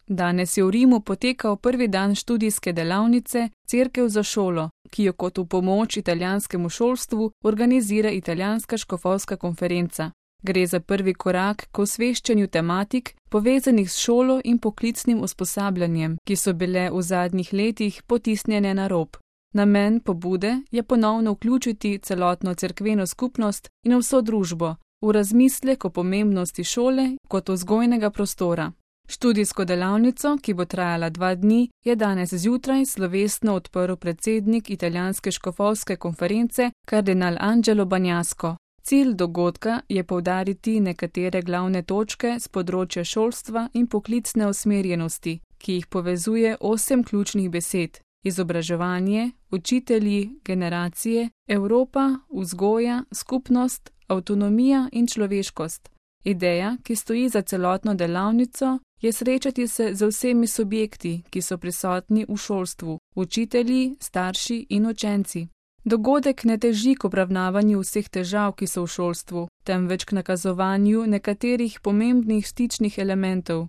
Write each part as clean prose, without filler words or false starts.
Danes je v Rimu potekal prvi dan študijske delavnice Cerkev za šolo, ki jo kot v pomoč italijanskemu šolstvu organizira Italijanska škofovska konferenca. Gre za prvi korak k osveščanju tematik, povezanih s šolo in poklicnim usposabljanjem, ki so bile v zadnjih letih potisnjene na rob. Namen pobude je ponovno vključiti celotno cerkveno skupnost in vso družbo v razmislek o pomembnosti šole kot vzgojnega prostora. Študijsko delavnico, ki bo trajala 2 dni, je danes zjutraj slovesno odprl predsednik Italijanske škofovske konference kardinal Angelo Bagnasco. Cilj dogodka je poudariti nekatere glavne točke z področja šolstva in poklicne usmerjenosti, ki jih povezuje 8 ključnih besed: izobraževanje, učitelji, generacije, Evropa, vzgoja, skupnost, avtonomija in človeškost. Ideja, ki stoji za celotno delavnico, je srečati se z vsemi subjekti, ki so prisotni v šolstvu, učitelji, starši in učenci. Dogodek ne teži k obravnavanju vseh težav, ki so v šolstvu, temveč k nakazovanju nekaterih pomembnih stičnih elementov.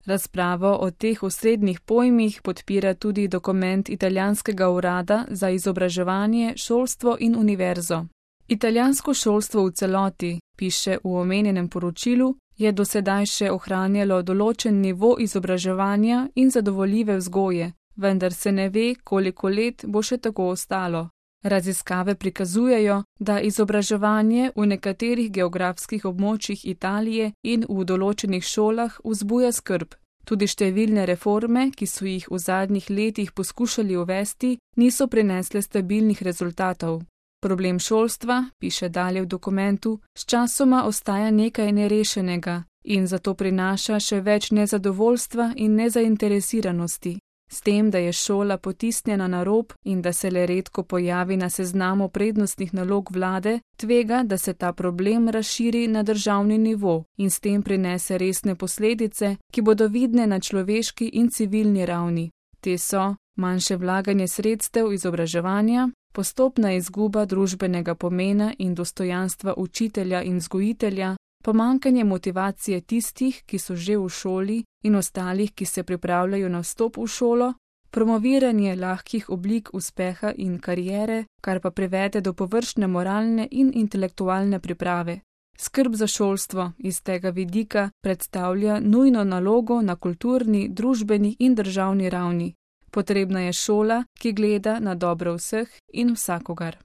Razpravo o teh osrednjih pojmih podpira tudi dokument Italijanskega urada za izobraževanje, šolstvo in univerzo. Italijansko šolstvo v celoti, piše v omenjenem poročilu, je do sedaj še ohranjalo določen nivo izobraževanja in zadovoljive vzgoje, vendar se ne ve, koliko let bo še tako ostalo. Raziskave prikazujejo, da izobraževanje v nekaterih geografskih območjih Italije in v določenih šolah vzbuja skrb. Tudi številne reforme, ki so jih v zadnjih letih poskušali uvesti, niso prinesle stabilnih rezultatov. Problem šolstva, piše dalje v dokumentu, sčasoma ostaja nekaj nerešenega in zato prinaša še več nezadovoljstva in nezainteresiranosti. S tem, da je šola potisnjena na rob in da se le redko pojavi na seznamu prednostnih nalog vlade, tvega, da se ta problem razširi na državni nivo in s tem prinese resne posledice, ki bodo vidne na človeški in civilni ravni. Te so manjše vlaganje sredstev izobraževanja, postopna izguba družbenega pomena in dostojanstva učitelja in vzgojitelja, pomanjkanje motivacije tistih, ki so že v šoli in ostalih, ki se pripravljajo na vstop v šolo, promoviranje lahkih oblik uspeha in kariere, kar pa privede do površne moralne in intelektualne priprave. Skrb za šolstvo iz tega vidika predstavlja nujno nalogo na kulturni, družbeni in državni ravni. Potrebna je šola, ki gleda na dobro vseh in vsakogar.